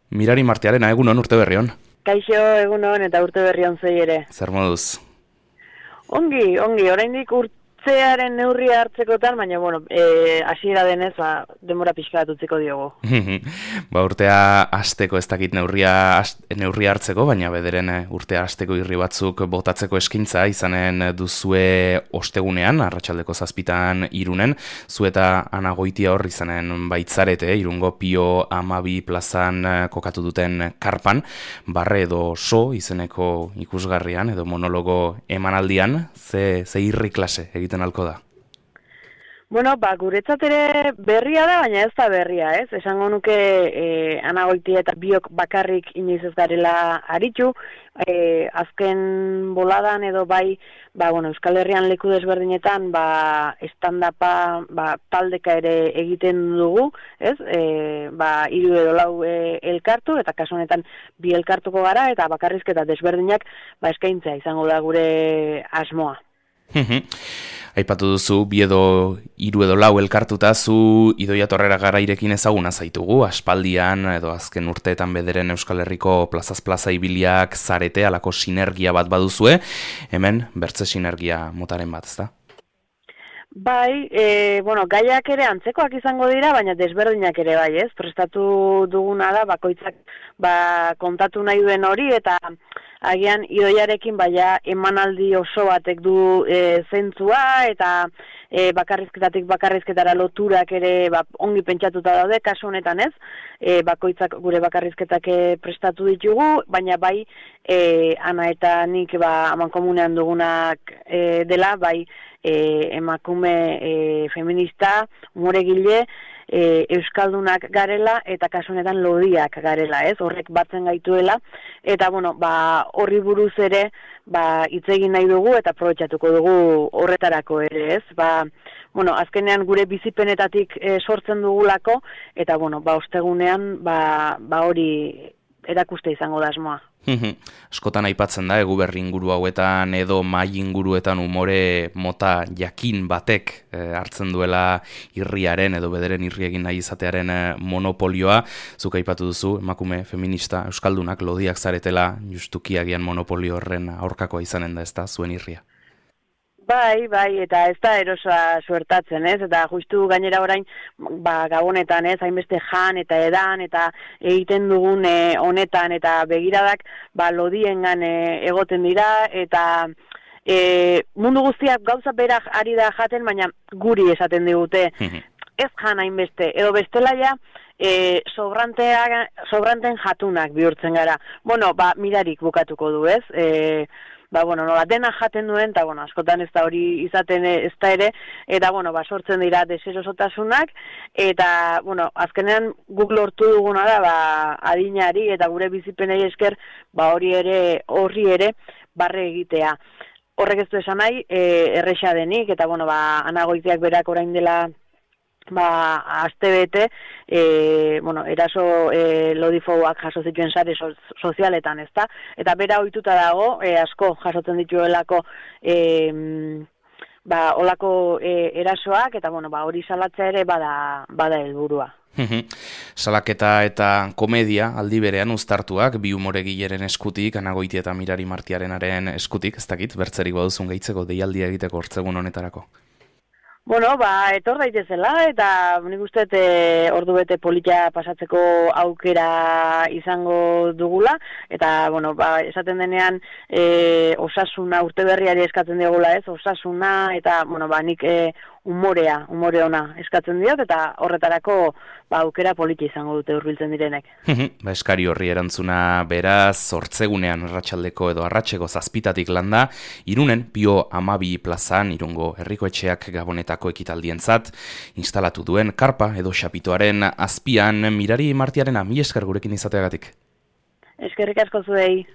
Mirari Martiarena, egunon, urte berri on. Kaixo, egunon eta urte berri on zei ere. Zer moduz? Ongi, oraindik urtzearen neurria hartzekotan, baina, hasiera denez, denbora pixka bat utziko diogu. Urtea hasteko ez dakit neurria hartzeko, baina bederen urtea hasteko irri batzuk botatzeko eskaintza izanen duzue ostegunean, arratsaldeko 7 Irunen, zu eta Ana Goitia hor izanen baitzarete, Irungo Pio 12 plazan kokatu duten karpan, barre edo so izeneko ikusgarrian edo monologo emanaldian, ze irri klase egiten alko da? Guretzat ere berria da, baina ez da berria, ez? Esango nuke Ana Goitia eta biok bakarrik inoiz ez garela aritu, azken boladan edo bai, Euskal Herrian leku desberdinetan, stand-upa, taldeka ere egiten dugu, ez? 3 edo 4 elkartu, eta kasu honetan 2 elkartuko gara, eta bakarrizketa desberdinak eskaintzea izango da gure asmoa. Aipatu duzu, 2 edo 3 edo 4 elkartuta, zu Idoia Torrera Garairekin ezaguna zaitugu, aspaldian edo azken urteetan bederen Euskal Herriko plazaz plaza ibiliak zarete, alako sinergia bat baduzue, hemen bertze sinergia motaren bat, ezta? Bai, gaiak ere antzekoak izango dira, baina desberdinak ere bai, ez? Prestatu duguna da, bakoitzak kontatu nahi duen hori, eta agian Idoiarekin emanaldi oso batek du zentzua, eta bakarrizketatik bakarrizketara loturak ere ongi pentsatuta daude, kasu honetan ez, bakoitzak gure bakarrizketak prestatu ditugu, baina bai Ana eta nik amankomunean dugunak dela, bai emakume feminista, umoregile, euskaldunak garela eta kasu honetan lodiak garela, ez? Horrek batzen gaituela eta horri buruz ere hitz egin nahi dugu eta aprobetxatuko dugu horretarako ere, ez? Azkenean gure bizipenetatik sortzen dugulako eta ostegunean hori erakuste izango da asmoa. Askotan aipatzen da, Eguberri inguru hauetan edo mai inguruetan umore mota jakin batek hartzen duela irriaren edo bederen irri egin nahi izatearen monopolioa. Zuk aipatu duzu, emakume feminista euskaldunak lodiak zaretela justuki agian monopolio horren aurkakoa izanen da, ez da, zuen irria? Bai, eta ez da erosoa suertatzen, ez? Eta justu gainera orain, gabonetan, ez? Hainbeste jan eta edan, eta egiten dugun honetan, eta begiradak, lodiengan egoten dira, eta mundu guztiak gauza berak ari da jaten, baina guri esaten digute, ez jan hainbeste, edo bestela ja, sobranten jatunak bihurtzen gara. Mirarik bukatuko du, ez? Nola dena jaten duen, eta askotan ez da hori izaten ez da ere, eta sortzen dira deserosotasunak, eta azkenean guk lortu duguna da adinari eta gure bizipenei esker horri ere barre egitea. Horrek ez du esan nahi, erresa denik, eta Ana Goitiak berak orain dela astebete, eraso lodifoak jaso zituen sare sozialetan, ezta? Eta bera ohituta dago, asko jasotzen dituelako olako erasoak, eta hori salatzea ere bada helburua. Salaketa eta komedia aldi berean uztartuak, bi umoregileren eskutik, Ana Goitia eta Mirari Martiarenaren eskutik, ez dakit, bertzerik baduzun gehitzeko deialdia egiteko hortzegun honetarako. Etor daitezela, eta nik uste ordu bete polita pasatzeko aukera izango dugula, eta, esaten denean osasuna, urte berriari eskatzen digula, ez, osasuna, eta, nik umore ona eskatzen diot, eta horretarako aukera polita izango dute hurbiltzen direnek. Eskari horri erantzuna beraz, hortzegunean arratsaldeko edo arratseko 7 landa, Irunen Pio 12 plazan, Irungo Herriko Etxeak Gabonetako ekitaldientzat instalatu duen karpa edo xapitoaren azpian Mirari Martiarena, mila esker gurekin izateagatik. Eskerrik asko zuei.